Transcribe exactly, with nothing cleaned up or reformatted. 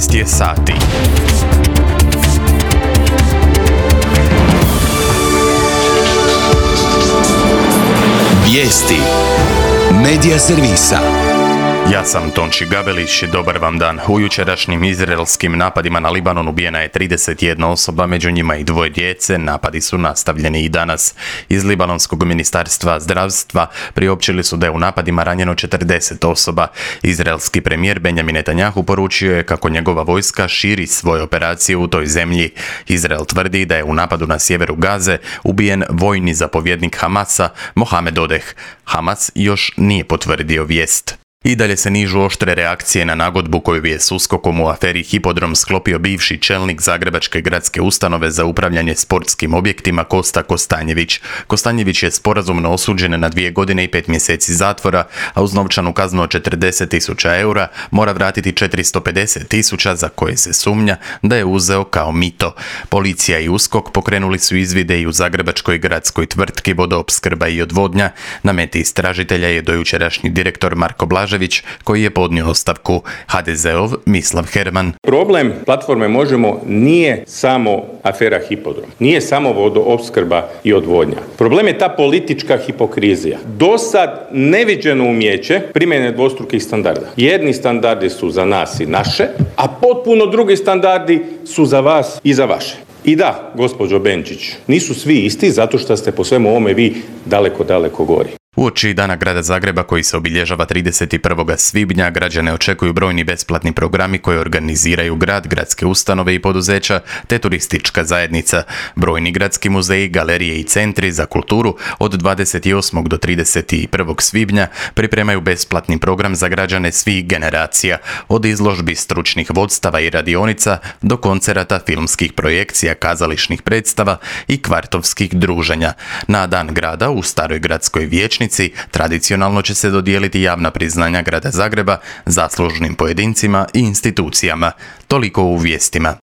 šesnaest je sati. Vijesti Medija servisa. Ja sam Tonči Gabelić, dobar vam dan. U jučerašnjim izraelskim napadima na Libanon ubijena je trideset jedna osoba, među njima i dvoje djece. Napadi su nastavljeni i danas. Iz Libanonskog ministarstva zdravstva priopćili su da je u napadima ranjeno četrdeset osoba. Izraelski premijer Benjamin Netanjahu poručio je kako njegova vojska širi svoje operacije u toj zemlji. Izrael tvrdi da je u napadu na sjeveru Gaze ubijen vojni zapovjednik Hamasa Mohamed Odeh. Hamas još nije potvrdio vijest. I dalje se nižu oštre reakcije na nagodbu koju je s uskokom u aferi Hipodrom sklopio bivši čelnik Zagrebačke gradske ustanove za upravljanje sportskim objektima Kosta Kostanjević. Kostanjević je sporazumno osuđen na dvije godine i pet mjeseci zatvora, a uz novčanu kaznu od četrdeset tisuća eura mora vratiti četiristo pedeset tisuća za koje se sumnja da je uzeo kao mito. Policija i uskok pokrenuli su izvide i u Zagrebačkoj gradskoj tvrtki Vodoopskrba i odvodnja. Na meti istražitelja je dojučerašnji direktor Marko Blaž, koji je podnio ostavku. ha de zeov Mislav Herman. Problem platforme Možemo nije samo afera Hipodrom, nije samo vodoopskrba i odvodnja. Problem je ta politička hipokrizija. Do sad neviđeno umijeće primjene dvostrukih standarda. Jedni standardi su za nas i naše, a potpuno drugi standardi su za vas i za vaše. I da, gospođo Benčić, nisu svi isti zato što ste po svemu ovome vi daleko, daleko gori. Uoči Dana grada Zagreba koji se obilježava trideset prvog svibnja, građane očekuju brojni besplatni programi koje organiziraju grad, gradske ustanove i poduzeća te turistička zajednica. Brojni gradski muzeji, galerije i centri za kulturu od dvadeset osmog do trideset prvog svibnja pripremaju besplatni program za građane svih generacija, od izložbi stručnih vodstava i radionica do koncerata, filmskih projekcija, kazališnih predstava i kvartovskih druženja. Na Dan grada u Staroj gradskoj vijećnici tradicionalno će se dodijeliti javna priznanja grada Zagreba zaslužnim pojedincima i institucijama. Toliko u vijestima.